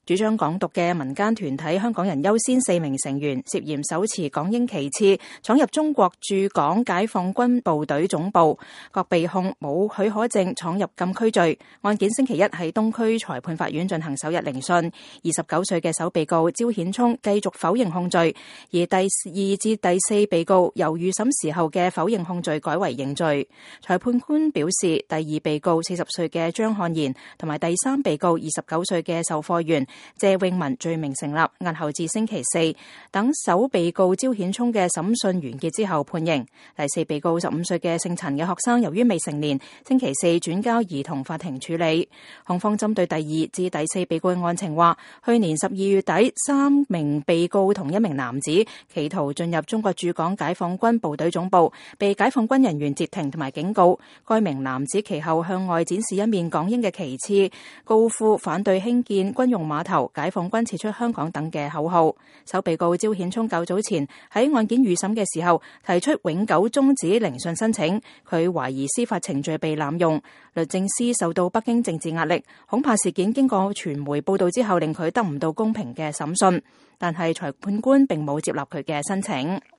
主張港獨嘅民間團體香港人優先4名成員涉嫌手持港英旗幟闖入中國駐港解放軍部隊總部，各被控冇許可證闖入禁區罪。案件星期一喺東區裁判法院進行首日聆訊。29歲嘅首被告招顯聰繼續否認控罪，而第2至第4被告由預審時候嘅否認控罪改為認罪。裁判官表示，第2被告40歲嘅張漢賢同埋第3被告29歲嘅售貨員謝永文罪名成立，押後至星期4等首被告招顯聰嘅審訊完結之後判刑。第4被告15歲嘅姓陳嘅學生，由於未成年，星期4轉交兒童法庭處理。控方針對第2至第4被告嘅案情話，去年12月底，3名被告同1名男子企圖進入中國駐港解放軍部隊總部，被解放軍人員截停同埋警告。該名男子其後向外展示一面港英嘅旗幟，高呼反對興建軍用碼頭、解放軍撤出香港等嘅口號。首被告招顯聰較早前喺案件預審嘅時候提出永久終止聆訊申請，佢懷疑司法程序被濫用，律政司受到北京政治壓力，恐怕事件經過傳媒報道之後令佢得唔到公平嘅審訊，但係裁判官並冇接納佢嘅申請。